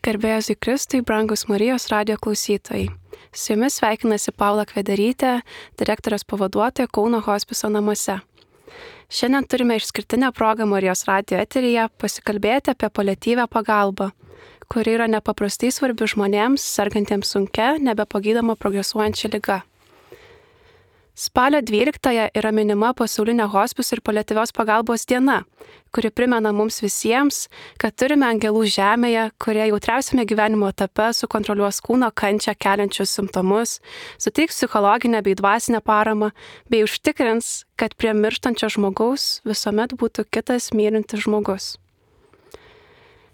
Garbėjus į Kristui, brangus Marijos radijo klausytojai. Su jumis sveikinasi Paula Kvedarytė, direktorės pavaduotoja Kauno hospiso namuose. Šiandien turime išskirtinę progą Marijos radijo eteryje pasikalbėti apie paliatyvią pagalbą, kuri yra nepaprastai svarbi žmonėms, sergantiems sunkia, nebepagydoma progresuojančia liga. Spalio 12 yra minima pasaulinė hospiso ir paliatyvios pagalbos diena, kuri primena mums visiems, kad turime angelų žemėje, kurie jautriausiame gyvenimo etape sukontroliuos kūno kančią keliančius simptomus, suteiks psichologinę bei dvasinę paramą, bei užtikrins, kad prie mirštančio žmogaus visuomet būtų kitas mylintis žmogus.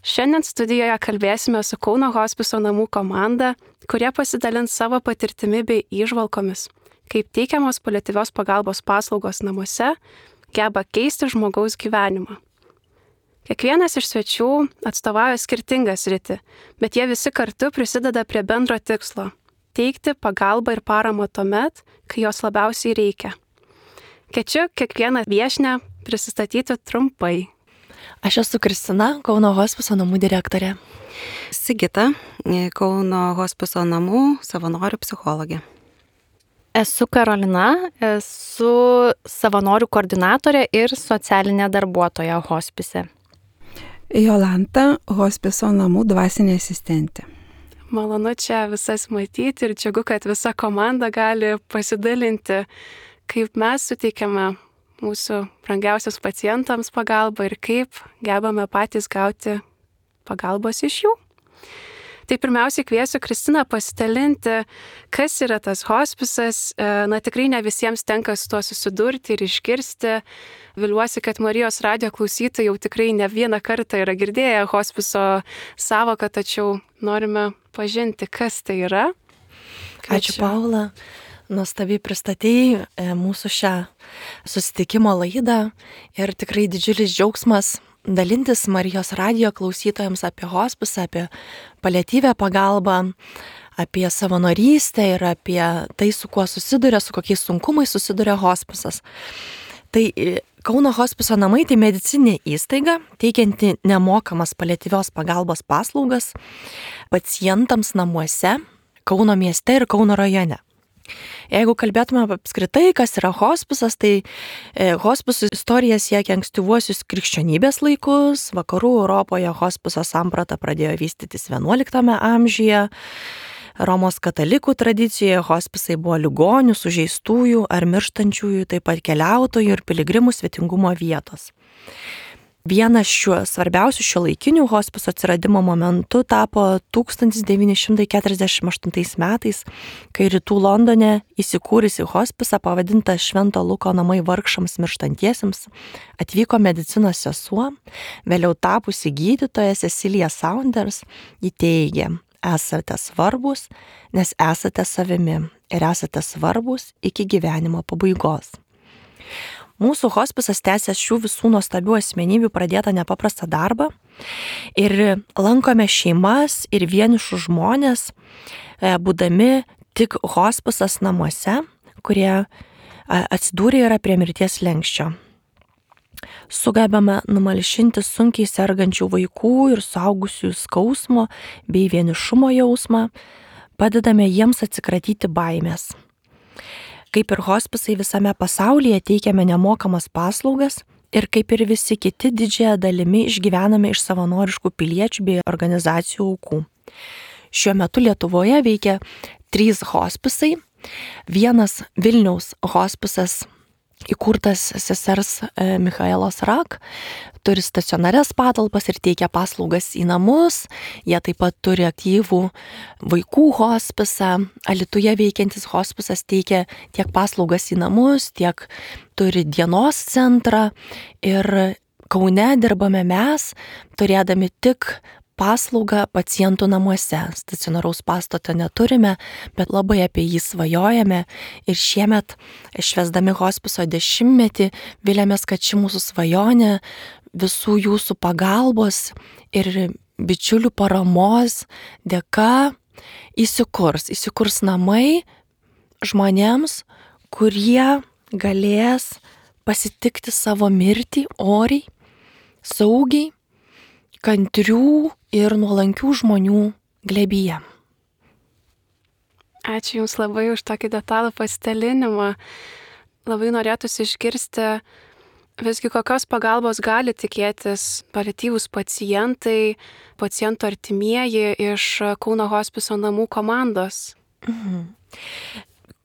Šiandien studijoje kalbėsime su Kauno hospiso namų komanda, kurie pasidalins savo patirtimi bei įžvalgomis, kaip teikiamos paliatyvios pagalbos paslaugos namuose geba keisti žmogaus gyvenimą. Kiekvienas iš svečių atstovauja skirtingą sritį, bet jie visi kartu prisideda prie bendro tikslo – teikti pagalbą ir paramą tuomet, kai jos labiausiai reikia. Kviečiu kiekvieną viešnią prisistatyti trumpai. Aš esu Kristina, Kauno hospiso namų direktorė. Sigita, Kauno hospiso namų savanorių psichologė. Esu Karolina, esu savanorių koordinatorė ir socialinė darbuotoja hospise. Jolanta, hospiso namų dvasinė asistentė. Malonu čia visas matyti ir džiugu, kad visa komanda gali pasidalinti, kaip mes suteikiame mūsų brangiausius pacientams pagalbą ir kaip gebame patys gauti pagalbos iš jų. Tai pirmiausiai kviesiu Kristiną pasidalinti, kas yra tas hospisas. Tikrai ne visiems tenka su tuo susidurti ir išgirsti. Viliuosi, kad Marijos radijo klausytojai jau tikrai ne vieną kartą yra girdėję hospiso sąvoką, tačiau norime pažinti, kas tai yra. Ačiū, Paula. Nuostabiai pristatei mūsų šią susitikimo laidą ir tikrai didžiulis džiaugsmas dalintis Marijos radijo klausytojams apie hospisą, apie paliatyvią pagalbą, apie savanorystę ir apie tai, su kuo susiduria, su kokiais sunkumais susiduria hospisas. Tai Kauno hospiso namai tai medicininė įstaiga, teikianti nemokamas paliatyvios pagalbos paslaugas pacientams namuose, Kauno mieste ir Kauno rajone. Jeigu kalbėtume apskritai, kas yra hospisas, tai hospisų istorija siekia ankstyvuosius krikščionybės laikus. Vakarų Europoje hospiso samprata pradėjo vystytis XI amžiuje. Romos katalikų tradicijoje hospisai buvo ligonių, sužeistųjų ar mirštančiųjų, taip pat keliautojų ir piligrimų svetingumo vietos. Vienas svarbiausių šiuolaikinių hospiso atsiradimo momentų tapo 1948 metais, kai rytų Londone įsikūrusi hospisą pavadinta Švento Luko namai vargšams mirštantiesiems atvyko medicinos sesuo, vėliau tapusi gydytoja Cecilija Saunders. Ji teigė: esate svarbus, nes esate savimi ir esate svarbus iki gyvenimo pabaigos. Mūsų hospisas tęsia šių visų nuostabių asmenybių pradėtą nepaprastą darbą ir lankome šeimas ir vienišus žmonės, būdami tik hospisas namuose, kurie atsidūrė yra prie mirties slenksčio. Sugebame numalšinti sunkiai sergančių vaikų ir suaugusių skausmo bei vienišumo jausmą, padedame jiems atsikratyti baimės. Kaip ir hospisai visame pasaulyje teikiame nemokamas paslaugas ir kaip ir visi kiti didžiąją dalimi išgyvename iš savanoriškų piliečių bei organizacijų aukų. Šiuo metu Lietuvoje veikia 3 hospisai. Vienas Vilniaus hospisas, įkurtas sesers Michaelos Rak, turi stacionarias patalpas ir teikia paslaugas į namus. Jie taip pat turi aktyvų vaikų hospisą. Alytuje veikiantis hospisas teikia tiek paslaugas į namus, tiek turi dienos centrą. Ir Kaune dirbame mes, turėdami tik paslaugą pacientų namuose. Stacionaraus pastato neturime, bet labai apie jį svajojame ir šiemet, švęsdami hospiso 10-metį, vilėmės, kad ši mūsų svajonė visų jūsų pagalbos ir bičiulių paramos dėka įsikurs namai žmonėms, kurie galės pasitikti savo mirtį oriai, saugiai, kantrių ir nuolankių žmonių glėbyje. Ačiū Jums labai už tokį detalų pasidalinimą. Labai norėtųsi išgirsti, visgi kokios pagalbos gali tikėtis paliatyvūs pacientai, pacientų artimieji iš Kauno hospiso namų komandos.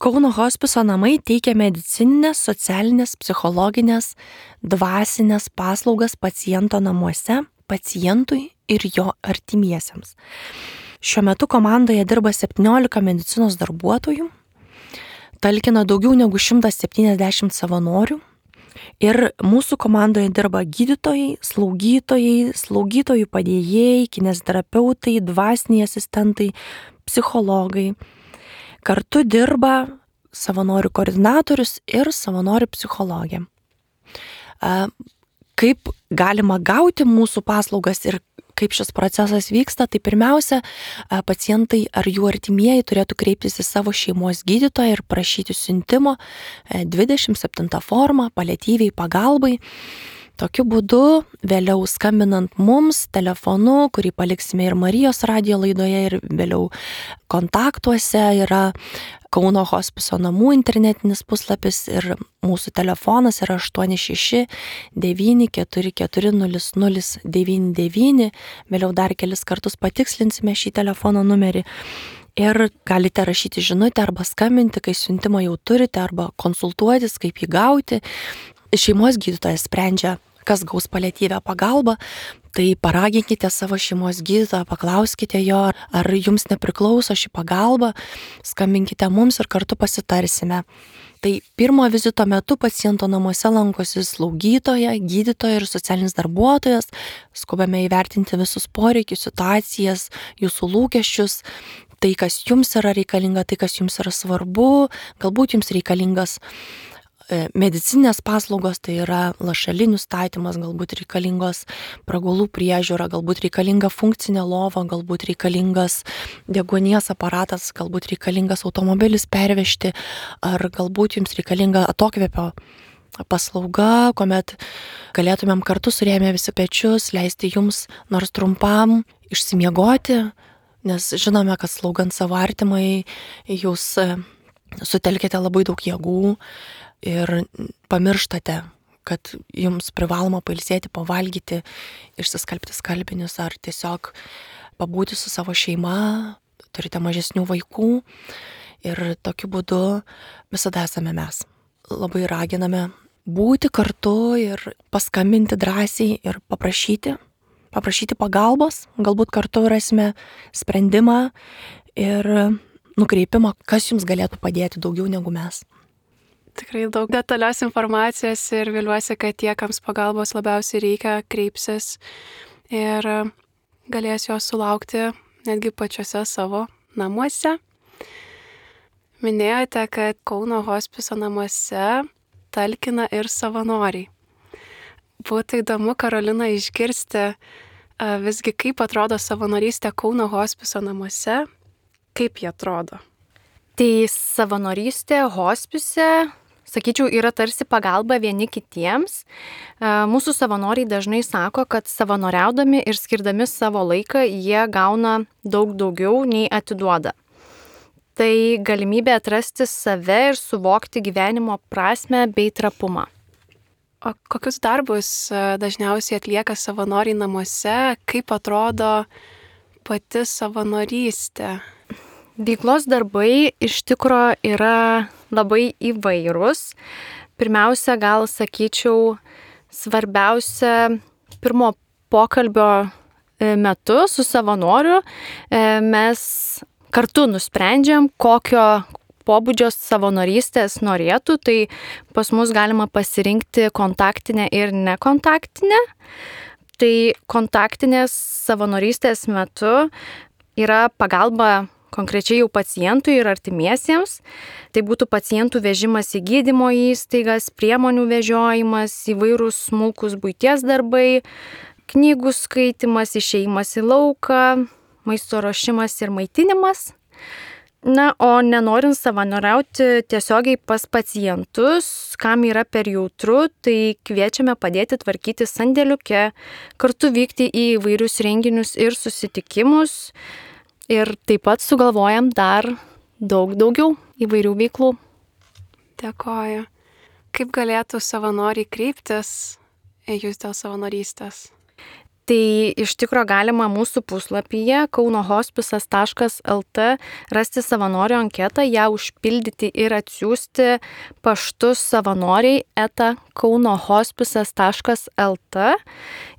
Kauno hospiso namai teikia medicininės, socialinės, psichologinės, dvasinės paslaugas paciento namuose, pacientui ir jo artimiesiems. Šiuo metu komandoje dirba 17 medicinos darbuotojų, talkina daugiau negu 170 savanorių ir mūsų komandoje dirba gydytojai, slaugytojų padėjėjai, kineziterapeutai, dvasiniai asistentai, psichologai. Kartu dirba savanorių koordinatorius ir savanorių psichologė. Kaip galima gauti mūsų paslaugas ir kaip šis procesas vyksta, tai pirmiausia, pacientai ar jų artimieji turėtų kreiptis į savo šeimos gydytoją ir prašyti siuntimo 27 formą paliatyviai pagalbai. Tokiu būdu, vėliau skambinant mums telefonu, kurį paliksime ir Marijos radijo laidoje, ir vėliau kontaktuose yra Kauno hospiso namų internetinis puslapis ir mūsų telefonas yra 86 944 0099. Vėliau dar kelis kartus patikslinsime šį telefono numerį. Ir galite rašyti žinutę arba skambinti, kai siuntimą jau turite, arba konsultuotis, kaip jį gauti. Šeimos gydytojas sprendžia, kas gaus paliatyvią pagalbą, tai paraginkite savo šeimos gydytoją, paklauskite jo, ar jums nepriklauso ši pagalba, skambinkite mums ir kartu pasitarsime. Tai pirmo vizito metu paciento namuose lankosi slaugytoja, gydytoja ir socialinis darbuotojas, skubame įvertinti visus poreikius, situacijas, jūsų lūkesčius, tai kas jums yra reikalinga, tai kas jums yra svarbu, galbūt jums reikalingas medicininės paslaugos, tai yra lašalinių statymas, galbūt reikalingos pragulų priežiūra, galbūt reikalinga funkcinė lova, galbūt reikalingas deguonies aparatas, galbūt reikalingas automobilis pervežti, ar galbūt jums reikalinga atokvėpio paslauga, kuomet galėtumėm kartu surėmę visi pečius, leisti jums nors trumpam išsimiegoti, nes žinome, kad slaugant savo artimai jūs sutelkite labai daug jėgų ir pamirštate, kad jums privaloma pailsėti, pavalgyti, išsiskalbti skalbinius ar tiesiog pabūti su savo šeima, turite mažesnių vaikų ir tokiu būdu visada esame mes. Labai raginame būti kartu ir paskambinti drąsiai ir paprašyti pagalbos, galbūt kartu rasime sprendimą ir nukreipimą, kas jums galėtų padėti daugiau negu mes. Tikrai daug detalios informacijos ir viliuosi, kad tie, kams pagalbos labiausiai reikia, kreipsis ir galės jos sulaukti netgi pačiuose savo namuose. Minėjote, kad Kauno hospiso namuose talkina ir savanoriai. Būtų įdomu, Karolina, išgirsti visgi, kaip atrodo savanorystė Kauno hospiso namuose, kaip jie atrodo. Tai savanorystė hospise, sakyčiau, yra tarsi pagalba vieni kitiems. Mūsų savanoriai dažnai sako, kad savanoriaudami ir skirdami savo laiką jie gauna daug daugiau nei atiduoda. Tai galimybė atrasti save ir suvokti gyvenimo prasmę bei trapumą. O kokius darbus dažniausiai atlieka savanoriai namuose, kaip atrodo pati savanorystė? Veiklos darbai iš tikro yra labai įvairūs. Pirmiausia, gal sakyčiau, svarbiausia pirmo pokalbio metu su savanoriu mes kartu nusprendžiam, kokio pobūdžio savanorystės norėtų. Tai pas mus galima pasirinkti kontaktinę ir nekontaktinę. Tai kontaktinės savanorystės metu yra pagalba konkrečiai jau pacientui ir artimiesiems. Tai būtų pacientų vežimas į gydymo įstaigas, priemonių vežiojimas, įvairūs smulkus buities darbai, knygų skaitimas, išėjimas į lauką, maisto ruošimas ir maitinimas. Na, o nenorint savanoriauti tiesiogiai pas pacientus, kam yra per jautru, tai kviečiame padėti tvarkyti sandėliuke, kartu vykti į įvairius renginius ir susitikimus. Ir taip pat sugalvojam dar daugiau įvairių veiklų. Dėkoju. Kaip galėtų savanoriai kreiptis į jūs dėl savanorystės? Tai iš tikro galima mūsų puslapyje kaunohospisas.lt rasti savanorių anketą, ją užpildyti ir atsiųsti paštu savanoriai@kaunohospisas.lt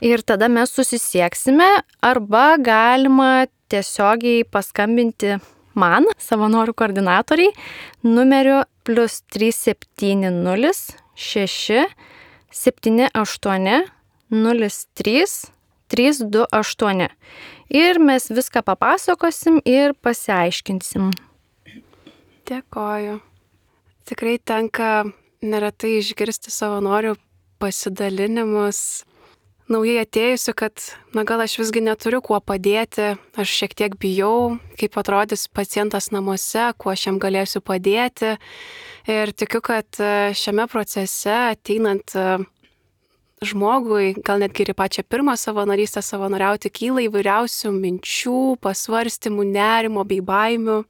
ir tada mes susisieksime arba galima tiesiogiai paskambinti man, savanorių koordinatoriai, numeriu +370 6 78 03 328. Ir mes viską papasakosim ir pasiaiškinsim. Dėkoju. Tikrai tenka neretai išgirsti savanorių pasidalinimus naujai atėjusių, kad gal aš visgi neturiu kuo padėti, aš šiek tiek bijau, kaip atrodys pacientas namuose, kuo aš jam galėsiu padėti. Ir tikiu, kad šiame procese ateinant žmogui, gal netgi ir pačią pirmą savanorystę savanoriauti, kyla įvairiausių minčių, pasvarstymų, nerimo bei baimių.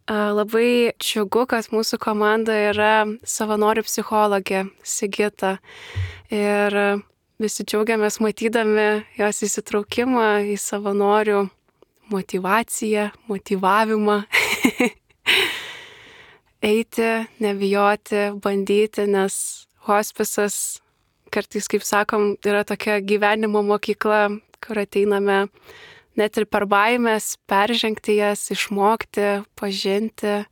Labai džiugu, kad mūsų komanda yra savanorių psichologė Sigita. Ir visi džiaugiamės matydami jos įsitraukimą į savanorių motyvaciją, motyvavimą. Eiti, nebijoti, bandyti, nes hospisas kartais, kaip sakom, yra tokia gyvenimo mokykla, kur ateiname net ir per baimės, peržengti jas, išmokti, pažinti.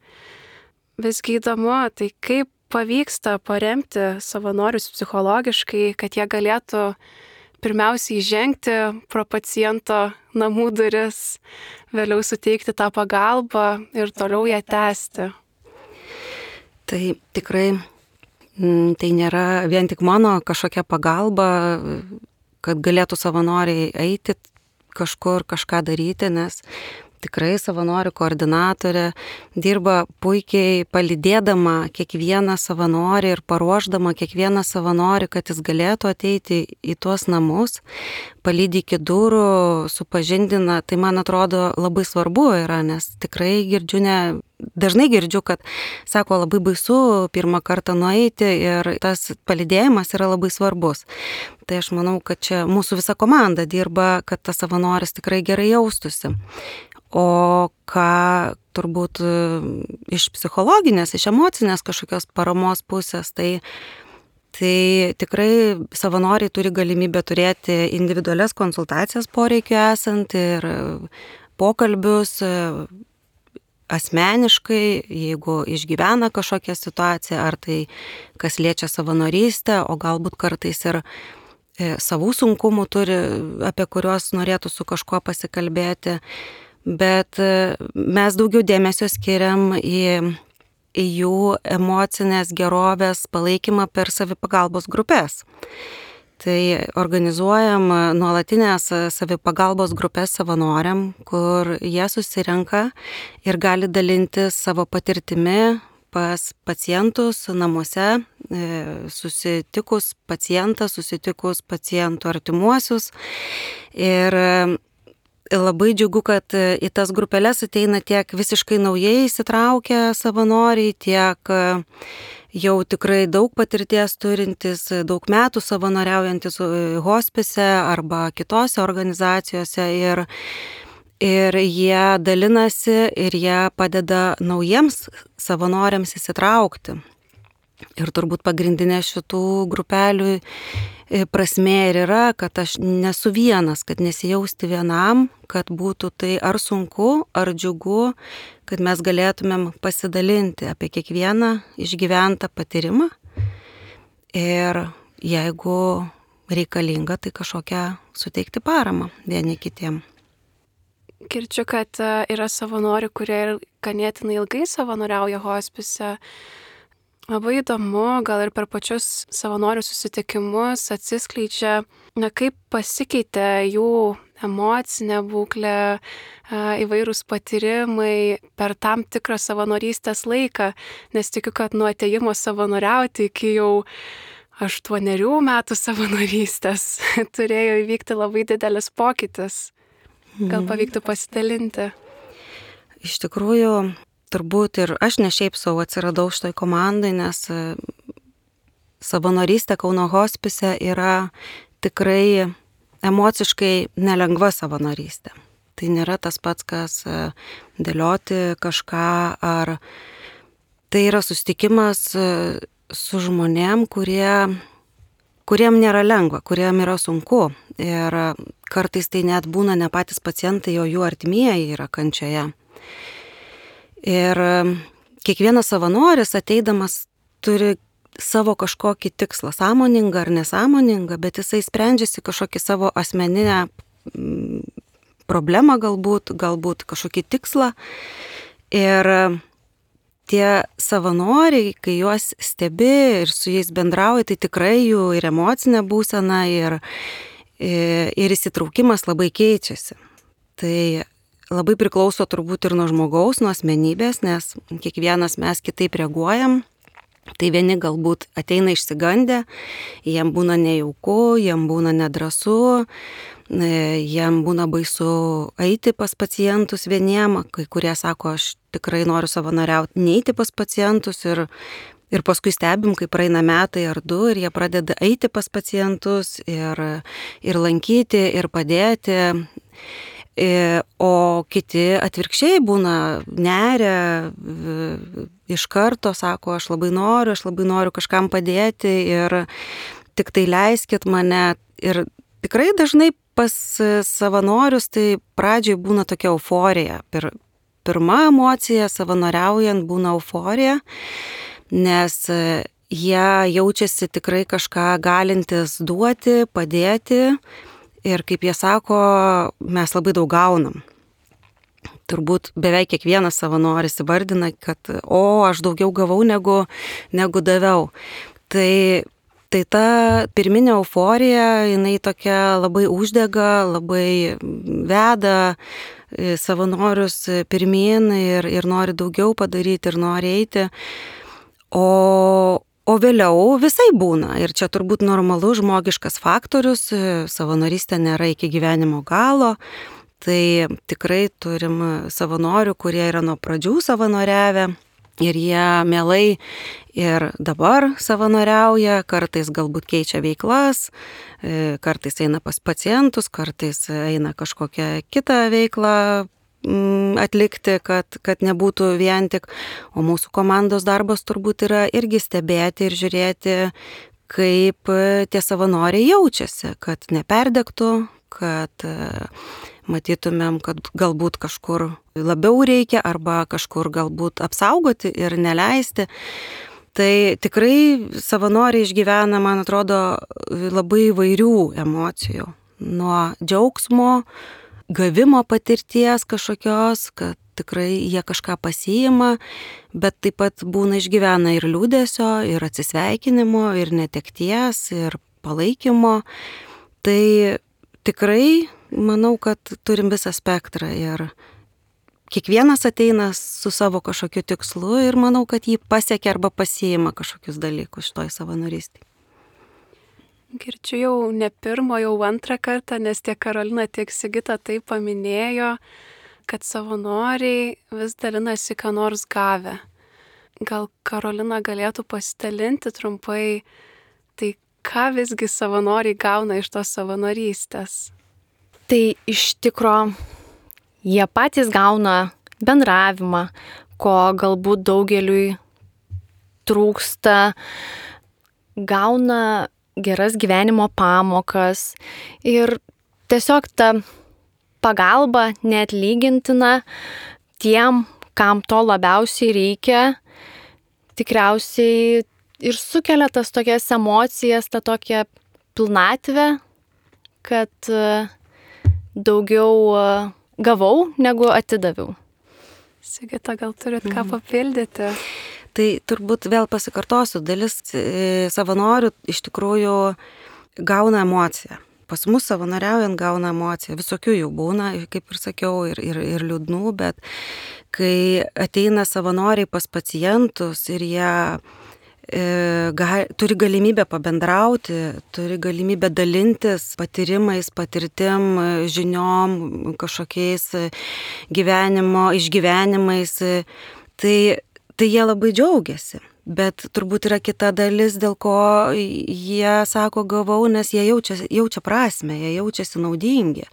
Visgi įdomu, tai kaip pavyksta paremti savanorius psichologiškai, kad jie galėtų pirmiausiai žengti pro paciento namų duris, vėliau suteikti tą pagalbą ir toliau ją tęsti. Tai tikrai tai nėra vien tik mano kažkokia pagalba, kad galėtų savanoriai eiti kažkur, kažką daryti, nes tikrai savanorių koordinatorė dirba puikiai palydėdama kiekvieną savanorį ir paruošdama kiekvieną savanorį, kad jis galėtų ateiti į tuos namus, palydi iki durų, supažindina. Tai man atrodo labai svarbu yra, nes tikrai dažnai girdžiu, kad sako, labai baisu pirmą kartą nueiti ir tas palydėjimas yra labai svarbus. Tai aš manau, kad čia mūsų visa komanda dirba, kad tas savanoris tikrai gerai jaustųsi. O ką turbūt iš psichologinės, iš emocinės kažkokios paramos pusės, tai tikrai savanoriai turi galimybę turėti individualias konsultacijas poreikiu esant ir pokalbius asmeniškai, jeigu išgyvena kažkokią situaciją, ar tai kas liečia savanorystę, o galbūt kartais ir savų sunkumų turi, apie kuriuos norėtų su kažkuo pasikalbėti. Bet mes daugiau dėmesio skiriam į jų emocinės gerovės palaikymą per savipagalbos grupės. Tai organizuojam nuolatinės savipagalbos grupės savanoriam, kur jie susirenka ir gali dalintis savo patirtimi pas pacientus namuose, susitikus pacientą, susitikus pacientų artimuosius. Ir labai džiugu, kad į tas grupelės ateina tiek visiškai naujai įsitraukę savanoriai, tiek jau tikrai daug patirties turintis, daug metų savanoriaujantis hospise arba kitose organizacijose. Ir jie dalinasi ir jie padeda naujiems savanoriams įsitraukti. Ir turbūt pagrindinė šitų grupelių prasmė ir yra, kad aš nesu vienas, kad nesijausti vienam, kad būtų tai ar sunku, ar džiugu, kad mes galėtumėm pasidalinti apie kiekvieną išgyventą patyrimą ir jeigu reikalinga, tai kažkokią suteikti paramą vieni kitiem. Girdžiu, kad yra savanorių, kurie ir ganėtinai ilgai savanoriauja hospise. Labai įdomu, gal ir per pačius savanorių susitikimus atsiskleidžia, kaip pasikeitė jų emocinė būklė, įvairūs patyrimai per tam tikrą savanorystės laiką, nes tikiu, kad nuo atėjimo savanoriauti iki jau 8 metų savanorystės turėjo įvykti labai didelis pokytis. Gal pavyktų pasidalinti? Iš tikrųjų, turbūt ir aš ne šiaip savo atsiradau šitoj komandai, nes savanorystė Kauno hospise yra tikrai emociškai nelengva savanorystė. Tai nėra tas pats, kas dėlioti kažką, ar tai yra susitikimas su žmonėm, kuriem nėra lengva, kuriem yra sunku. Ir kartais tai net būna ne patys pacientai, o jų artimieji yra kančioje. Ir kiekvienas savanoris ateidamas turi savo kažkokį tikslą, sąmoningą ar nesąmoningą, bet jisai sprendžiasi kažkokį savo asmeninę problemą galbūt kažkokį tikslą. Ir tie savanoriai, kai juos stebi ir su jais bendrauji, tai tikrai jų ir emocinė būsena, ir įsitraukimas labai keičiasi. Tai labai priklauso turbūt ir nuo žmogaus, nuo asmenybės, nes kiekvienas mes kitaip reaguojam. Tai vieni galbūt ateina išsigandę, jiem būna nejauku, jiem būna nedrąsu, jiem būna baisu eiti pas pacientus vieniem, kai kurie sako, aš tikrai noriu savanoriauti, neiti pas pacientus ir paskui stebim, kai praeina metai ar 2 ir jie pradeda eiti pas pacientus ir lankyti ir padėti. O kiti atvirkščiai būna neria, iš karto sako, aš labai noriu kažkam padėti ir tik tai leiskit mane. Ir tikrai dažnai pas savanorius tai pradžioj būna tokia euforija. Pirma emocija savanoriaujant būna euforija, nes jie jaučiasi tikrai kažką galintis duoti, padėti. Ir kaip jie sako, mes labai daug gaunam. Turbūt beveik kiekvienas savanoris įvardina, kad aš daugiau gavau negu daviau. Tai ta pirminė euforija, jinai tokia labai uždega, labai veda savanorius pirmyn ir nori daugiau padaryti ir nori eiti. O vėliau visai būna. Ir čia turbūt normalus žmogiškas faktorius. Savanorystė nėra iki gyvenimo galo. Tai tikrai turim savanorių, kurie yra nuo pradžių savanoriavę. Ir jie mielai ir dabar savanoriauja. Kartais galbūt keičia veiklas. Kartais eina pas pacientus, kartais eina kažkokią kitą veiklą atlikti, kad nebūtų vien tik, o mūsų komandos darbas turbūt yra irgi stebėti ir žiūrėti, kaip tie savanoriai jaučiasi, kad neperdegtų, kad matytumėm, kad galbūt kažkur labiau reikia arba kažkur galbūt apsaugoti ir neleisti. Tai tikrai savanoriai išgyvena, man atrodo, labai įvairių emocijų. Nuo džiaugsmo, gavimo patirties kažkokios, kad tikrai jie kažką pasiima, bet taip pat būna išgyvena ir liūdesio, ir atsisveikinimo, ir netekties, ir palaikymo. Tai tikrai manau, kad turim visą spektrą ir kiekvienas ateina su savo kažkokiu tikslu ir manau, kad jį pasiekia arba pasiima kažkokius dalykus šitoj savanorystėje. Girdžiu jau ne pirmo, jau 2 kartą, nes tiek Karolina, tiek Sigita tai paminėjo, kad savanoriai vis dalinasi ką nors gavę. Gal Karolina galėtų pasidalinti trumpai, tai ką visgi savanoriai gauna iš tos savanorystės? Tai iš tikro jie patys gauna bendravimą, ko galbūt daugeliui trūksta, gauna geras gyvenimo pamokas ir tiesiog ta pagalba neatlygintina tiem, kam to labiausiai reikia, tikriausiai ir sukelia tas tokias emocijas, tą tokią pilnatvę, kad daugiau gavau negu atidaviau. Sigita, gal turit ką papildyti? Tai turbūt vėl pasikartosiu, dalis savanorių iš tikrųjų gauna emociją pas mus savanoriaujant gauna emociją. Visokių jų būna, kaip ir sakiau, ir liūdnų, bet kai ateina savanoriai pas pacientus ir jie turi galimybę pabendrauti, turi galimybę dalintis patyrimais, patirtim, žiniom, kažkokiais gyvenimo išgyvenimais, tai jie labai džiaugiasi. Bet turbūt yra kita dalis, dėl ko jie sako gavau, nes jie jaučia prasmę, jie jaučiasi naudingi.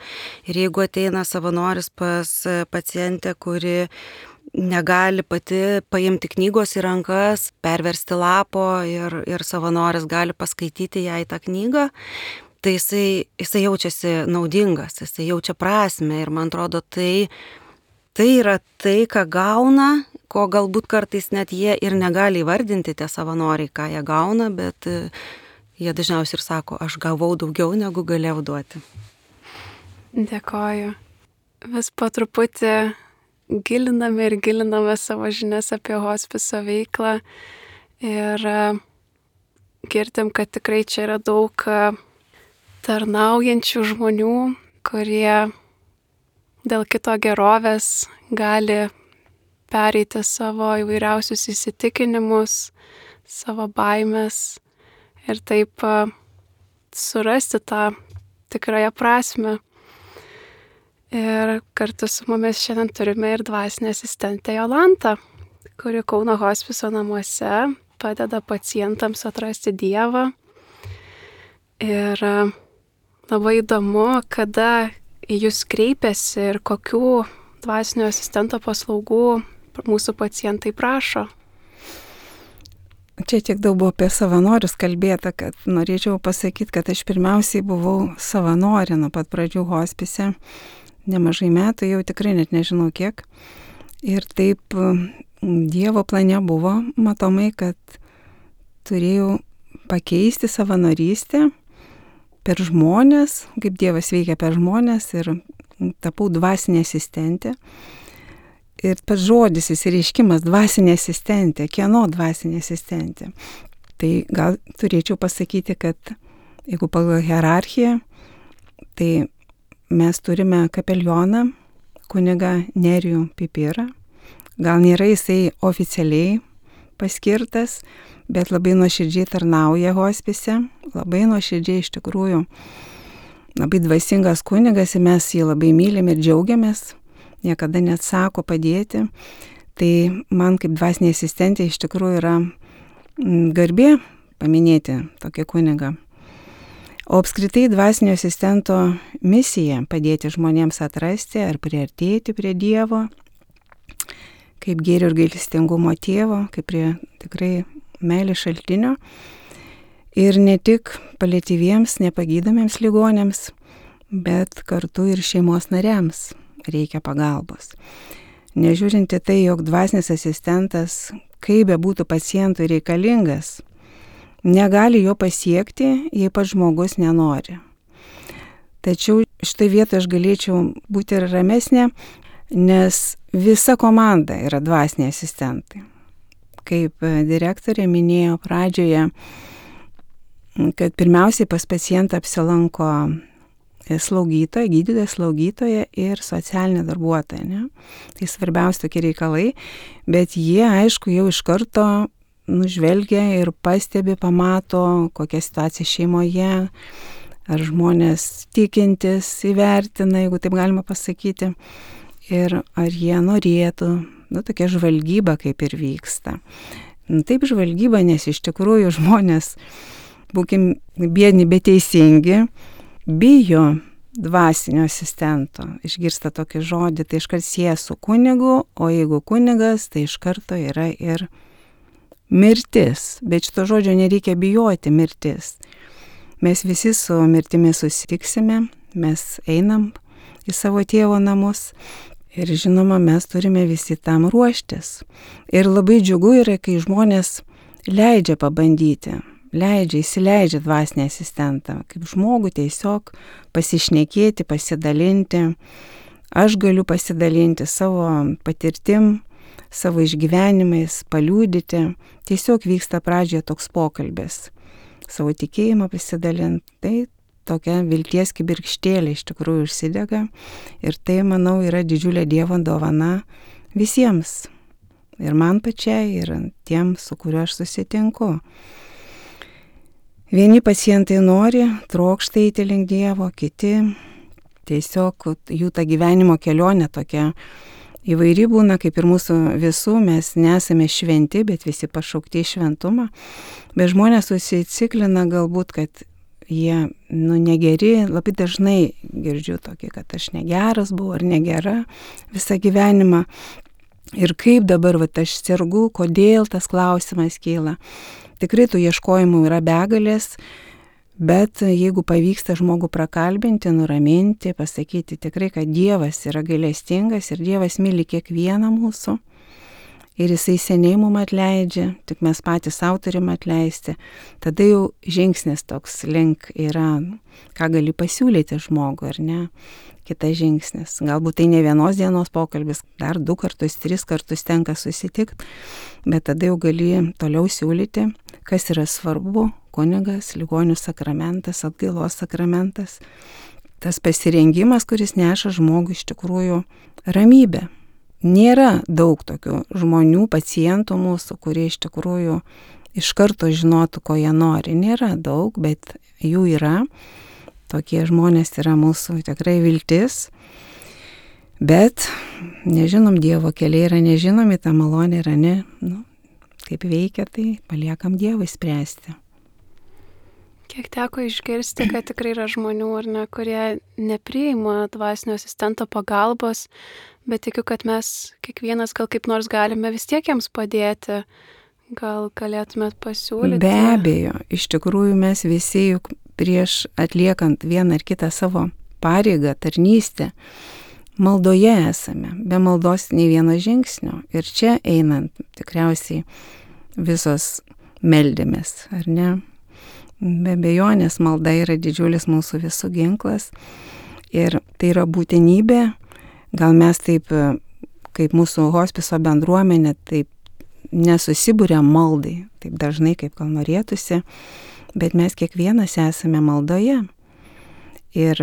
Ir jeigu ateina savanoris pas pacientę, kuri negali pati paimti knygos į rankas, perversti lapo ir savanoris gali paskaityti jai tą knygą, tai jisai jaučiasi naudingas, jisai jaučia prasmę ir man atrodo tai yra tai, ką gauna, ko galbūt kartais net jie ir negali įvardinti tie savanoriai, ką jie gauna, bet jie dažniausiai ir sako, aš gavau daugiau, negu galėjau duoti. Dėkoju. Vis po truputį giliname savo žinias apie hospiso veiklą ir girdim, kad tikrai čia yra daug tarnaujančių žmonių, kurie dėl kito gerovės gali pereiti savo įvairiausius įsitikinimus, savo baimės ir taip surasti tą tikrąją prasmę. Ir kartu su mumis šiandien turime ir dvasinę asistentę Jolantą, kuri Kauno hospiso namuose padeda pacientams atrasti Dievą. Ir labai įdomu, kada į jūs kreipiasi ir kokių dvasinio asistento paslaugų mūsų pacientai prašo. Čia tiek daug buvo apie savanorius kalbėta, kad norėčiau pasakyti, kad aš pirmiausiai buvau savanorė nuo pat pradžių hospise. Nemažai metų, jau tikrai net nežinau kiek. Ir taip Dievo plane buvo matomai, kad turėjau pakeisti savanorystę per žmonės, kaip Dievas veikia per žmonės, ir tapau dvasinė asistentė. Ir pats žodis, išsireiškimas dvasinė asistentė, kieno dvasinė asistentė. Tai gal turėčiau pasakyti, kad jeigu pagal hierarchiją, tai mes turime kapelioną, kunigą Nerijų Pipirą. Gal nėra jisai oficialiai paskirtas, bet labai nuoširdžiai tarnauja hospise, labai nuoširdžiai iš tikrųjų, labai dvasingas kunigas ir mes jį labai mylim ir džiaugiamės, niekada neatsako padėti. Tai man kaip dvasinė asistentė iš tikrųjų yra garbė paminėti tokį kunigą. O apskritai dvasinio asistento misija padėti žmonėms atrasti ar priartėti prie Dievo, kaip gėrio ir gailestingumo tėvo, kaip prie tikrai meilės šaltinio. Ir ne tik paliatyviems, nepagydomiems ligonėms, bet kartu ir šeimos nariams reikia pagalbos. Nežiūrinti tai, jog dvasinis asistentas, kaip bebūtų pacientui reikalingas, negali jo pasiekti, jei pats žmogus nenori. Tačiau štai vietoje aš galėčiau būti ir ramesnė, nes visa komanda yra dvasiniai asistentai. Kaip direktorė minėjo pradžioje, kad pirmiausiai pas pacientą apsilanko slaugytoja, gydytoja, slaugytoja ir socialinė darbuotoja. Ne? Tai svarbiausia tokie reikalai, bet jie, aišku, jau iš karto nužvelgia ir pastebi, pamato, kokia situacija šeimoje, ar žmonės tikintis įvertina, jeigu taip galima pasakyti, ir ar jie norėtų, tokia žvalgyba kaip ir vyksta. Taip žvalgyba, nes iš tikrųjų žmonės, būkim biedni, bet teisingi, bijo dvasinio asistento. Išgirsta tokį žodį, tai iškart sieja su kunigu, o jeigu kunigas, tai iš karto yra ir mirtis. Bet šito žodžio nereikia bijoti, mirtis. Mes visi su mirtimi susitiksime, mes einam į savo tėvo namus ir žinoma, mes turime visi tam ruoštis. Ir labai džiugu yra, kai žmonės leidžia pabandyti. Įsileidžia dvasinį asistentą, kaip žmogų tiesiog pasišnekėti, pasidalinti. Aš galiu pasidalinti savo patirtim, savo išgyvenimais, paliūdyti. Tiesiog vyksta pradžioje toks pokalbis, savo tikėjimą pasidalinti. Tai tokia vilties kibirkštėlė iš tikrųjų užsidega. Ir tai, manau, yra didžiulė Dievo dovana visiems. Ir man pačiai, ir tiems, su kuriuo aš susitinku. Vieni pacientai nori, trokšta eiti link Dievo, kiti tiesiog jų ta gyvenimo kelionė tokia įvairi būna, kaip ir mūsų visų, mes nesame šventi, bet visi pašaukti į šventumą. Bet žmonės susiciklina galbūt, kad jie negeri, labai dažnai girdžiu tokį, kad aš negeras buvau ar negera visą gyvenimą. Ir kaip dabar aš sergu, kodėl tas klausimas kyla. Tikrai tų ieškojimų yra begalės, bet jeigu pavyksta žmogų prakalbinti, nuraminti, pasakyti tikrai, kad Dievas yra gailestingas ir Dievas myli kiekvieną mūsų ir Jisai seniai mums atleidžia, tik mes patys sau turim atleisti, tada jau žingsnis toks link yra, ką gali pasiūlyti žmogui, ar ne? Kitas žingsnis. Galbūt tai ne vienos dienos pokalbis, dar 2 kartus, 3 kartus tenka susitikti, bet tada jau gali toliau siūlyti, kas yra svarbu, kunigas, ligonių sakramentas, atgailos sakramentas, tas pasirengimas, kuris neša žmogui iš tikrųjų ramybę. Nėra daug tokių žmonių, pacientų mūsų, kurie iš tikrųjų iš karto žinotų, ko jie nori. Nėra daug, bet jų yra. Tokie žmonės yra mūsų tikrai viltis, bet nežinom, Dievo keliai yra nežinomi, ta malonė yra kaip veikia, tai paliekam Dievui spręsti. Kiek teko išgirsti, kad tikrai yra žmonių, ar ne, kurie nepriima dvasinio asistento pagalbos, bet tikiu, kad mes kiekvienas gal kaip nors galime vis tiek jiems padėti. Gal galėtumėt pasiūlyti? Be abejo, iš tikrųjų mes visi juk prieš atliekant vieną ar kitą savo pareigą, tarnystę, maldoje esame, be maldos nei vieno žingsnio. Ir čia einant tikriausiai visos meldėmės, ar ne? Be abejonės malda yra didžiulis mūsų visų ginklas ir tai yra būtinybė. Gal mes taip, kaip mūsų hospiso bendruomenė, taip nesusibūrėm maldai, taip dažnai, kaip gal norėtųsi, bet mes kiekvienas esame maldoje. Ir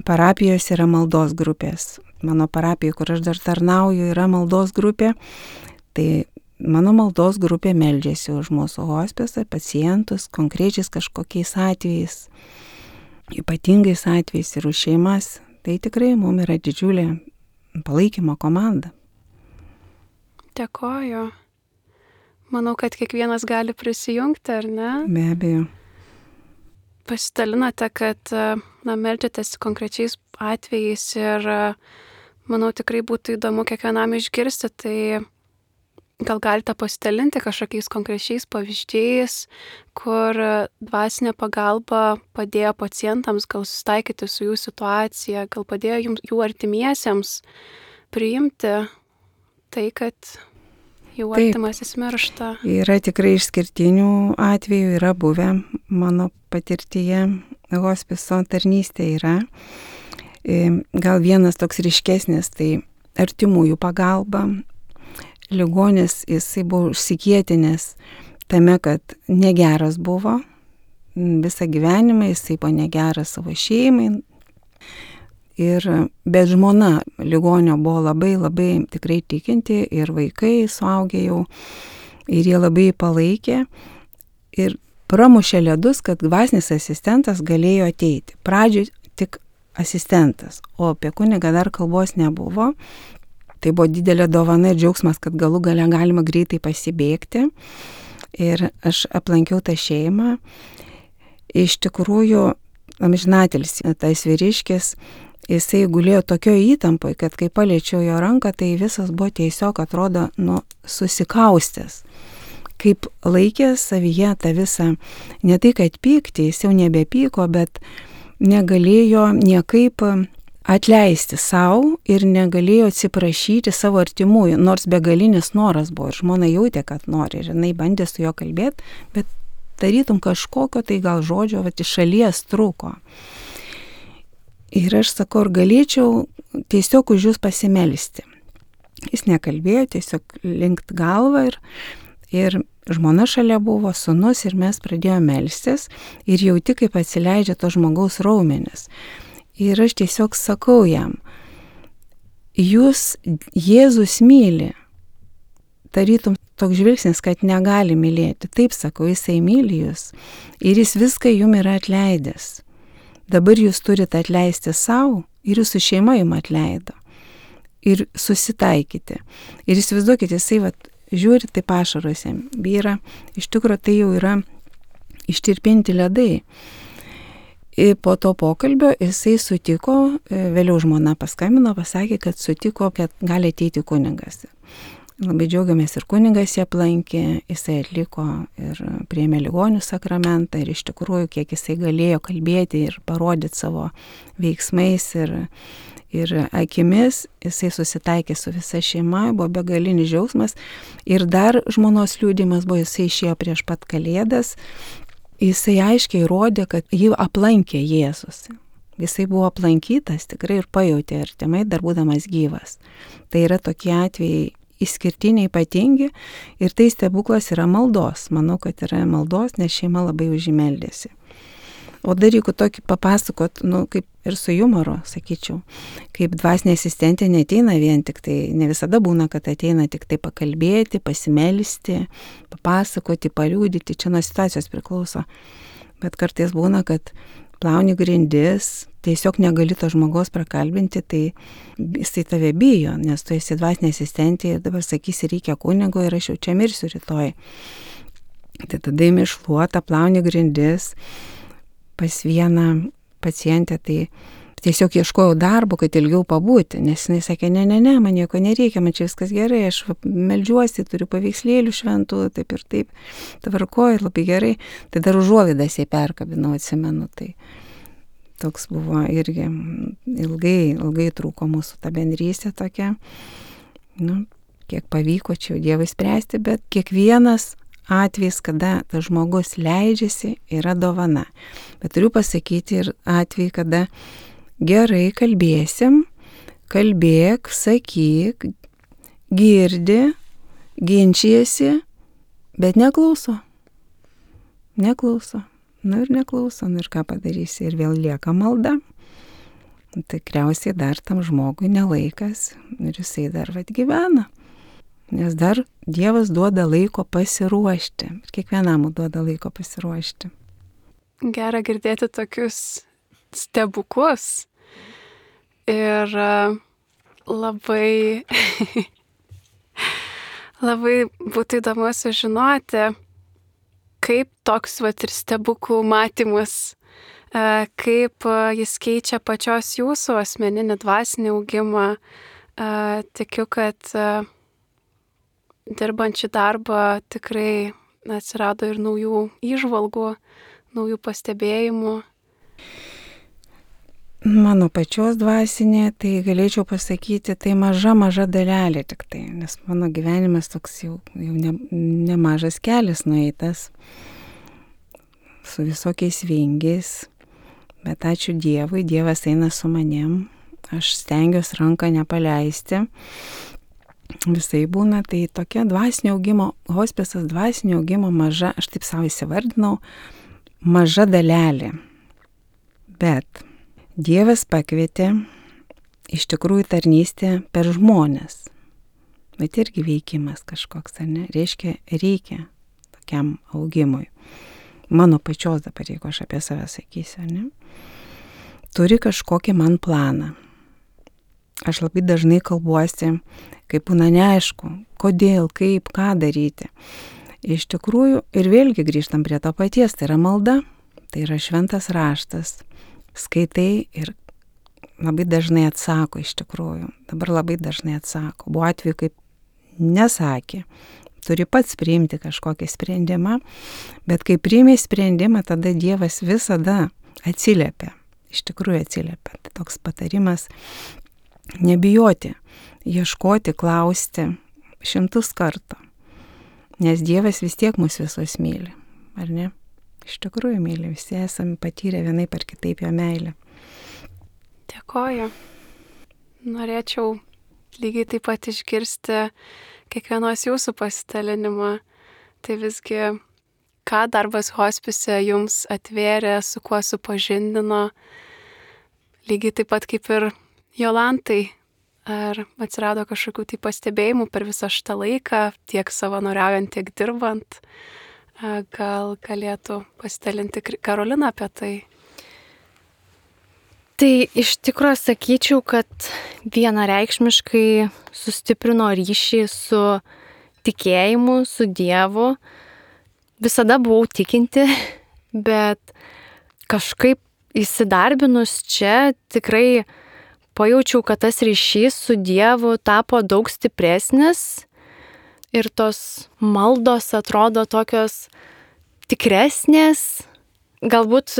parapijos yra maldos grupės. Mano parapijoje, kur aš dar tarnauju, yra maldos grupė. Tai mano maldos grupė meldžiasi už mūsų hospisą, pacientus, konkrečiais kažkokiais atvejais, ypatingais atvejais ir už šeimas. Tai tikrai mums yra didžiulė palaikymo komanda. Dėkoju. Manau, kad kiekvienas gali prisijungti, ar ne? Be abejo. Pasidalinote, kad meldžiatės konkrečiais atvejais ir manau tikrai būtų įdomu kiekvienam išgirsti, tai gal galite pasidalinti kažkokiais konkrečiais pavyzdžiais, kur dvasinė pagalba padėjo pacientams gal susitaikyti su jų situacija, gal padėjo jų artimiesiems priimti tai, kad jų artimasis miršta. Yra tikrai išskirtinių atvejų, yra buvę mano patirtyje, hospiso tarnystė yra. Gal vienas toks ryškesnis, tai artimųjų pagalba. Ligonis, jisai buvo užsikietinęs tame, kad negeras buvo visą gyvenimą, jisai buvo negeras savo šeimai. Bet žmona ligonio buvo labai tikrai tikinti ir vaikai suaugę jau ir jie labai palaikė ir pramušė ledus, kad dvasinis asistentas galėjo ateiti. Pradžioj tik asistentas, o apie kunigą dar kalbos nebuvo. Tai buvo didelė dovana ir džiaugsmas, kad galų gale galima greitai pasibėgti. Ir aš aplankiau tą šeimą. Iš tikrųjų, amžinatelis, tas vyriškis, jisai gulėjo tokio įtampoje, kad kai paliečiau jo ranką, tai visas buvo tiesiog, atrodo, susikaustęs. Kaip laikė savyje tą visą, ne tai kad pykti, jis jau nebepyko, bet negalėjo niekaip atleisti savo ir negalėjo atsiprašyti savo artimųjų, nors begalinis noras buvo ir žmona jautė, kad nori ir jinai bandė su juo kalbėti, bet tarytum kažkokio tai gal žodžio iš šalies trūko. Ir aš sakau, ar galėčiau tiesiog už jūs pasimelsti. Jis nekalbėjo, tiesiog linkt galvą Ir žmona šalia buvo, sūnus, ir mes pradėjome melstis ir jauti, kaip atsileidžia to žmogaus raumenis. Ir aš tiesiog sakau jam, jūs Jėzus myli. Tarytum toks žvilgsnis, kad negali mylėti. Taip sakau, jisai myli jūs ir jis viską jum yra atleidęs. Dabar jūs turite atleisti savo ir jūsų šeima jum atleido. Ir susitaikyti. Ir įsivaizduokite, jisai žiūri, taip ašaros jam byra. Iš tikrųjų, tai jau yra ištirpinti ledai. Ir po to pokalbio jisai sutiko, vėliau žmona paskambino, pasakė, kad sutiko, kad gali ateiti kunigas. Labai džiaugiamės ir kunigas jį aplankė, jisai atliko ir priėmė ligonių sakramentą ir iš tikrųjų, kiek jisai galėjo kalbėti ir parodyti savo veiksmais ir akimis, jisai susitaikė su visa šeima, buvo begalinis džiaugsmas ir dar žmonos liudijimas buvo, jisai išėjo prieš pat Kalėdas, jisai aiškiai rodė, kad jį aplankė Jėzus. Jisai buvo aplankytas tikrai ir pajautė artimai, dar būdamas gyvas. Tai yra tokie atvejai išskirtiniai, ypatingi ir tai stebuklas yra maldos. Manau, kad yra maldos, nes šeima labai už jį meldėsi. O dar jeigu tokį papasakot, kaip ir su jumoru, sakyčiau, kaip dvasinė asistentė neateina vien tik tai, ne visada būna, kad ateina tik tai pakalbėti, pasimelsti, papasakoti, paliūdyti, čia nuo situacijos priklauso. Bet kartais būna, kad plauni grindis, tiesiog negali to žmogaus prakalbinti, tai jisai tave bijo, nes tu esi dvasinė asistentė ir dabar sakysi, reikia kunigo ir aš jau čia mirsiu rytoj. Tai tada imi šluotą, plauni grindis pas vieną pacientę, tai tiesiog ieškojau darbo, kad ilgiau pabūti, nes jinai sakė, ne, man nieko nereikia, man čia viskas gerai, aš meldžiuosi, turiu paveikslėlių šventų, taip ir taip, tvarkoju ir labai gerai, tai dar užuolaidas jai perkabinau, atsimenu, tai toks buvo irgi ilgai trūko mūsų ta bendrystė tokia, kiek pavyko čia jau Dievui spręsti, bet kiekvienas atvejis, kada tas žmogus leidžiasi, yra dovana. Bet turiu pasakyti ir atvejį, kada gerai kalbėsim, kalbėk, sakyk, girdi, ginčijasi, bet neklauso. Neklauso. Ir neklauso, ir ką padarysi, ir vėl lieka malda. Tikriausiai dar tam žmogui nelaikas ir jisai dar gyvena. Nes dar Dievas duoda laiko pasiruošti. Ir kiekvienam duoda laiko pasiruošti. Gera girdėti tokius stebuklus. Ir labai būtų įdomu sužinoti, kaip toks ir stebuklų matymas, kaip jis keičia pačios jūsų asmeninį dvasinį augimą. Tikiu, kad dirbant šį darbą tikrai atsirado ir naujų įžvalgų, naujų pastebėjimų. Mano pačios dvasinė, tai galėčiau pasakyti, tai maža dalelė tik tai, nes mano gyvenimas toks jau nemažas kelias nueitas su visokiais vingiais, bet ačiū Dievui, Dievas eina su manim, aš stengiuosi ranką nepaleisti. Visai būna, tai tokia dvasinio augimo, hospisas dvasinio augimo maža, aš taip savo įsivardinau, maža dalelė. Bet Dievas pakvietė iš tikrųjų tarnystę per žmones. Bet irgi veikimas kažkoks, ar ne? Reikia tokiam augimui. Mano pačios dabar, jeigu aš apie save sakysiu, ne? Turi kažkokį man planą. Aš labai dažnai kalbuosi, kaip būna neaišku, kodėl, kaip, ką daryti. Iš tikrųjų, ir vėlgi grįžtam prie to paties, tai yra malda, tai yra šventas raštas. Skaitai ir labai dažnai atsako iš tikrųjų. Dabar labai dažnai atsako. Buvo atveju, kaip nesakė. Turi pats priimti kažkokį sprendimą, bet kai priimi sprendimą, tada Dievas visada atsiliepia. Iš tikrųjų atsiliepia. Tai toks patarimas nebijoti, ieškoti, klausti 100 kartų. Nes Dievas vis tiek mus visus myli, ar ne? Iš tikrųjų myli, visi esame patyrę vienaip ar kitaip jo meilę. Dėkoju. Norėčiau lygiai taip pat išgirsti kiekvienos jūsų pasidalinimą, Tai visgi, ką darbas hospise jums atvėrė, su kuo supažindino, lygiai taip pat kaip ir Jolantai, ar atsirado kažkokių tai pastebėjimų per visą šitą laiką, tiek savanoriaujant, tiek dirbant? Gal galėtų pasidalinti Karolina apie tai? Tai iš tikrųjų sakyčiau, kad vienareikšmiškai sustiprino ryšį su tikėjimu, su Dievu. Visada buvau tikinti, bet kažkaip įsidarbinus čia tikrai pajaučiau, kad tas ryšys su Dievu tapo daug stipresnis ir tos maldos atrodo tokios tikresnės. Galbūt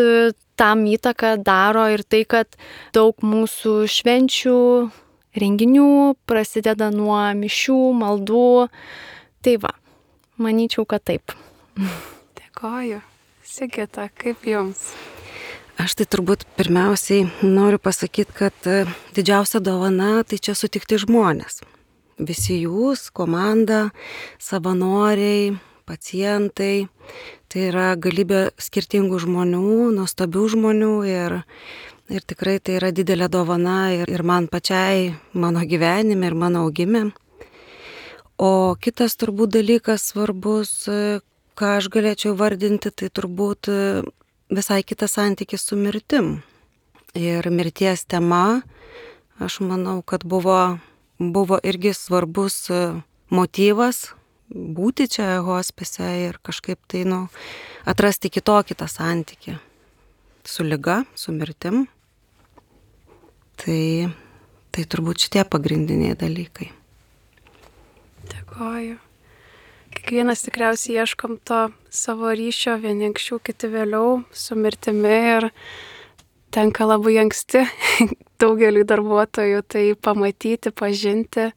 tam įtaką daro ir tai, kad daug mūsų švenčių, renginių prasideda nuo mišių, maldų. Tai va, manyčiau, kad taip. Dėkoju. Sigita, kaip jums? Aš tai turbūt pirmiausiai noriu pasakyti, kad didžiausia dovana tai čia sutikti žmonės. Visi jūs, komanda, savanoriai, pacientai, tai yra galybė skirtingų žmonių, nuostabių žmonių ir tikrai tai yra didelė dovana ir man pačiai, mano gyvenime ir mano augime. O kitas turbūt dalykas svarbus, ką aš galėčiau vardinti, tai turbūt visai kitas santykis su mirtim. Ir mirties tema, aš manau, kad buvo irgi svarbus motyvas būti čia hospise ir kažkaip tai, atrasti kitokį tą santykį su liga, su mirtim. Tai turbūt šitie pagrindiniai dalykai. Dėkoju. Kiekvienas tikriausiai ieškom to savo ryšio, vieni anksčiau, kiti vėliau, su mirtimi ir tenka labai anksti daugeliui darbuotojų tai pamatyti, pažinti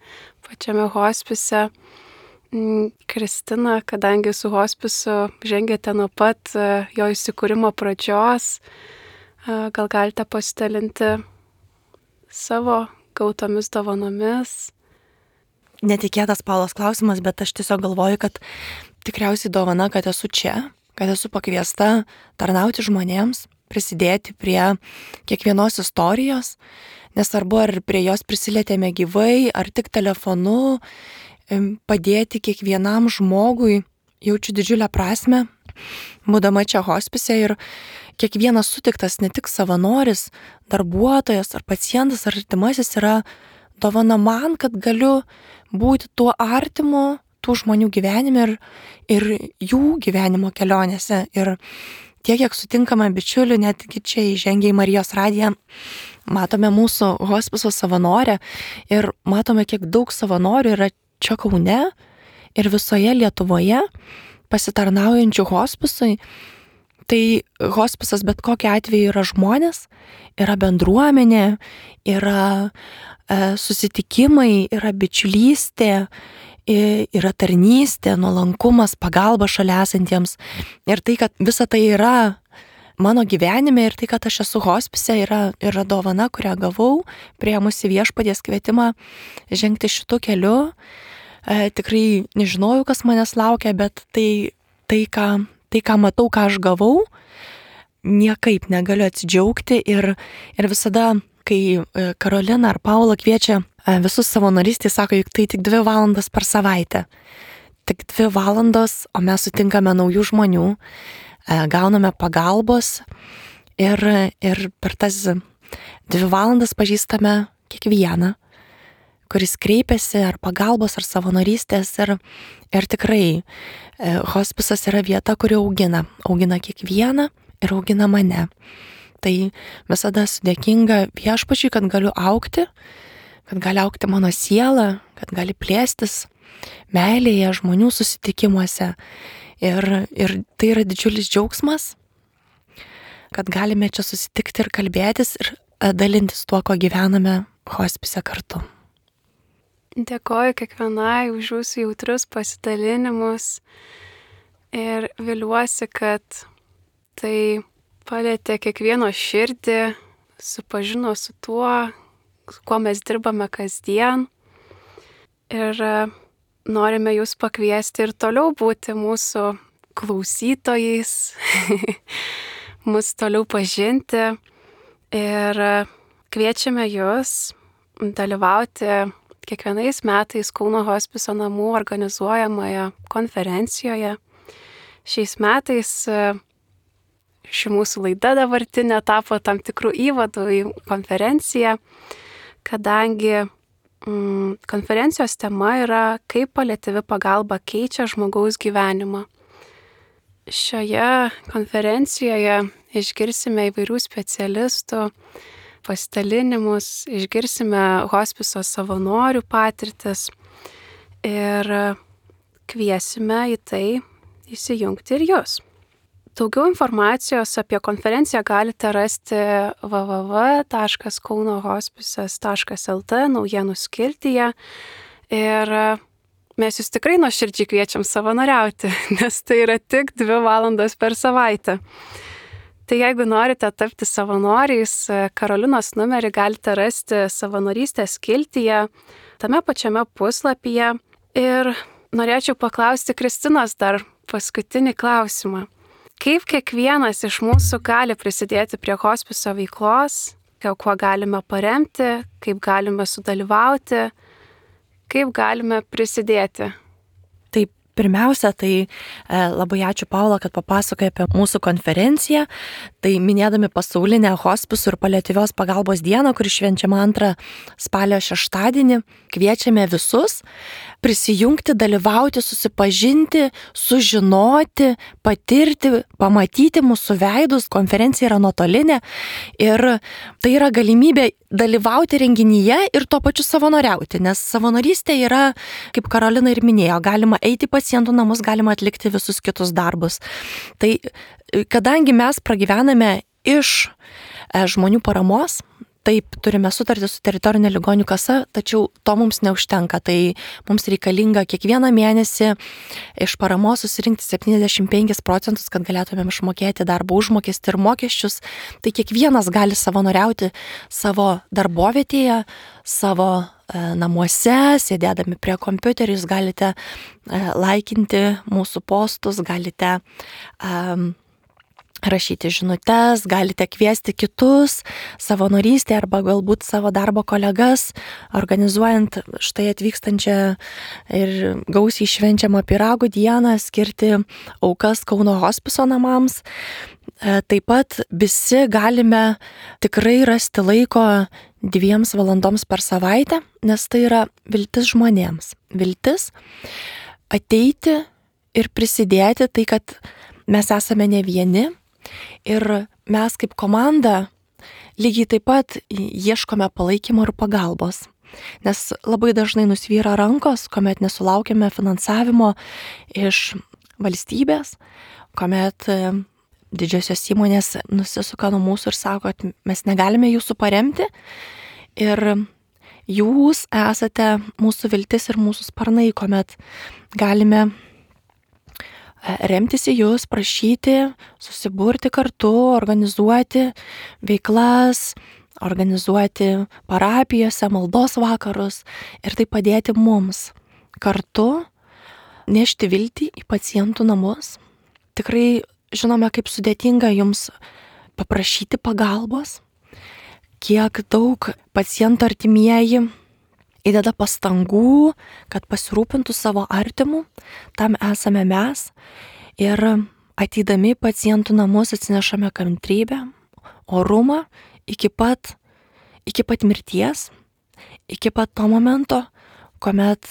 pačiame hospise. Kristina, kadangi su hospisu žengėte nuo pat jo įsikūrimo pradžios, gal galite pasidalinti savo gautomis dovanomis? Netikėtas Paulos klausimas, bet aš tiesiog galvoju, kad tikriausiai dovana, kad esu čia, kad esu pakviesta tarnauti žmonėms, prisidėti prie kiekvienos istorijos, nesvarbu, ar prie jos prisilietėme gyvai, ar tik telefonu, padėti kiekvienam žmogui, jaučiu didžiulę prasmę, būdama čia hospise ir kiekvienas sutiktas, ne tik savanoris, darbuotojas ar pacientas ar artimasis yra dovana man, kad galiu būti tuo artimu, tų žmonių gyvenime ir jų gyvenimo kelionėse. Ir tiek, kiek sutinkame bičiulių, netgi čia įžengę į Marijos radiją, matome mūsų hospiso savanorę ir matome, kiek daug savanorių yra čia Kaune ir visoje Lietuvoje pasitarnaujančių hospisui. Tai hospisas bet kokiu atveju yra žmonės, yra bendruomenė, yra susitikimai, yra bičiulystė, yra tarnystė, nuolankumas, pagalba šalia esantiems. Ir tai, kad visa tai yra mano gyvenime ir tai, kad aš esu hospise, yra dovana, kurią gavau, priėmusi Viešpaties kvietimą žengti šitu keliu. Tikrai nežinojau, kas manęs laukia, bet tai, ką matau, ką aš gavau, niekaip negaliu atsidžiaugti ir visada, kai Karolina ar Paula kviečia visus savanorystį, sako, juk tai tik 2 valandas per savaitę. Tik 2 valandos, o mes sutinkame naujų žmonių, gauname pagalbos ir per tas 2 valandas pažįstame kiekvieną, kuris kreipiasi ar pagalbos, ar savanorystės ir tikrai hospisas yra vieta, kuri augina kiekvieną ir augina mane. Tai visada esu dėkinga Viešpačiui, kad galiu augti, kad gali augti mano siela, kad gali plėstis meilėje, žmonių susitikimuose. Ir tai yra didžiulis džiaugsmas, kad galime čia susitikti ir kalbėtis ir dalintis tuo, ko gyvename hospise kartu. Dėkoju kiekvienai už jūsų jautrius pasidalinimus ir viliuosi, kad tai palietė kiekvieno širdį, supažino su tuo, su kuo mes dirbame kasdien. Ir norime jūs pakviesti ir toliau būti mūsų klausytojais, mus toliau pažinti ir kviečiame jūs dalyvauti kiekvienais metais Kauno hospiso namų organizuojamoje konferencijoje. Šiais metais ši mūsų laida dabartinė tapo tam tikrų įvadų į konferenciją, kadangi konferencijos tema yra kaip paliatyvi pagalba keičia žmogaus gyvenimą. Šioje konferencijoje išgirsime įvairių specialistų pasidalinimus, išgirsime hospiso savanorių patirtis ir kviesime į tai įsijungti ir jūs. Daugiau informacijos apie konferenciją galite rasti www.kaunohospicas.lt naujienų skiltyje ir mes jūs tikrai nuoširdžiai kviečiam savanoriauti, nes tai yra tik 2 valandos per savaitę. Tai jeigu norite tapti savanoriais, Karolinos numerį galite rasti savanorystės skiltyje, tame pačiame puslapyje. Ir norėčiau paklausti Kristinos dar paskutinį klausimą. Kaip kiekvienas iš mūsų gali prisidėti prie hospiso veiklos, kuo galime paremti, kaip galime sudalyvauti, kaip galime prisidėti? Taip, pirmiausia, tai labai ačiū Paula, kad papasakoja apie mūsų konferenciją. Tai minėdami pasaulinę hospisų ir paliatyvios pagalbos dieną, kuri švenčiama 2 spalio šeštadienį, kviečiame visus prisijungti, dalyvauti, susipažinti, sužinoti, patirti, pamatyti mūsų veidus. Konferencija yra nuotolinė ir tai yra galimybė dalyvauti renginyje ir tuo pačiu savanoriauti, nes savanorystė yra, kaip Karolina ir minėjo, galima eiti į pacientų namus, galima atlikti visus kitus darbus. Tai kadangi mes pragyvename iš žmonių paramos, taip, turime sutartį su teritorinė ligonių kasa, tačiau to mums neužtenka. Tai mums reikalinga kiekvieną mėnesį iš paramos susirinkti 75%, kad galėtumėm išmokėti darbo užmokestį ir mokesčius. Tai kiekvienas gali savanoriauti savo darbovietėje, savo namuose, sėdėdami prie kompiuterių. Jūs galite laikinti mūsų postus, galite rašyti žinutes, galite kviesti kitus savanorystę arba galbūt savo darbo kolegas, organizuojant štai atvykstančią ir gausiai švenčiamą pyragų dieną, skirti aukas Kauno hospiso namams. Taip pat visi galime tikrai rasti laiko 2 valandoms per savaitę, nes tai yra viltis žmonėms. Viltis ateiti ir prisidėti, tai kad mes esame ne vieni. Ir mes kaip komanda lygiai taip pat ieškome palaikymo ir pagalbos, nes labai dažnai nusvyra rankos, kuomet nesulaukime finansavimo iš valstybės, kuomet didžiosios įmonės nusisuka nuo mūsų ir sako, kad mes negalime jūsų paremti ir jūs esate mūsų viltis ir mūsų sparnai, kuomet galime remtis į jūs, prašyti, susiburti kartu, organizuoti veiklas, organizuoti parapijose, maldos vakarus ir tai padėti mums kartu nešti viltį į pacientų namus. Tikrai žinome, kaip sudėtinga jums paprašyti pagalbos, kiek daug pacientų artimieji įdeda pastangų, kad pasirūpintų savo artimų, tam esame mes ir ateidami pacientų namus atsinešame kantrybę, orumą iki pat mirties, iki pat to momento, kuomet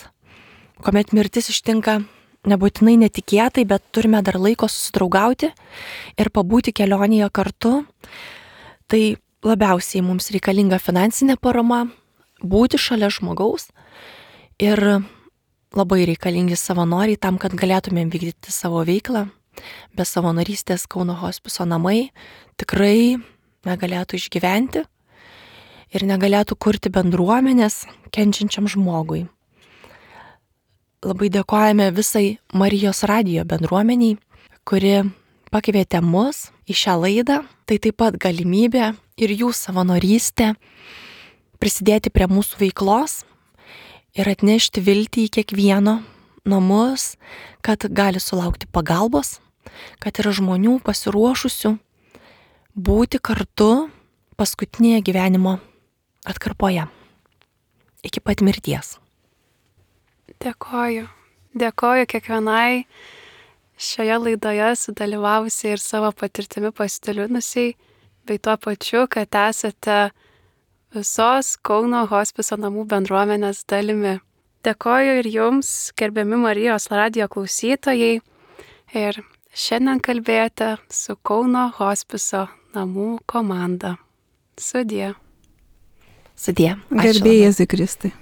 mirtis ištinka nebūtinai netikėtai, bet turime dar laiko susidraugauti ir pabūti kelionėje kartu. Tai labiausiai mums reikalinga finansinė parama, būti šalia žmogaus ir labai reikalingi savanoriai tam, kad galėtumėm vykdyti savo veiklą. Be savanorystės Kauno hospiso namai tikrai negalėtų išgyventi ir negalėtų kurti bendruomenės kenčiančiam žmogui. Labai dėkojame visai Marijos radijo bendruomeniai, kuri pakvietė mus į šią laidą. Tai taip pat galimybė ir jų savanorystė prisidėti prie mūsų veiklos ir atnešti viltį į kiekvieno namus, kad gali sulaukti pagalbos, kad yra žmonių pasiruošusių būti kartu paskutinėje gyvenimo atkarpoje, iki pat mirties. Dėkoju. Dėkoju kiekvienai šioje laidoje sudalyvavusiai ir savo patirtimi pasidalinusiai, bei tuo pačiu, kad esate visos Kauno hospiso namų bendruomenės dalimi. Dėkoju ir jums, gerbiami Marijos radijo klausytojai, ir šiandien kalbėjote su Kauno hospiso namų komanda. Sudie. Sudie. Garbė Jėzui Kristui.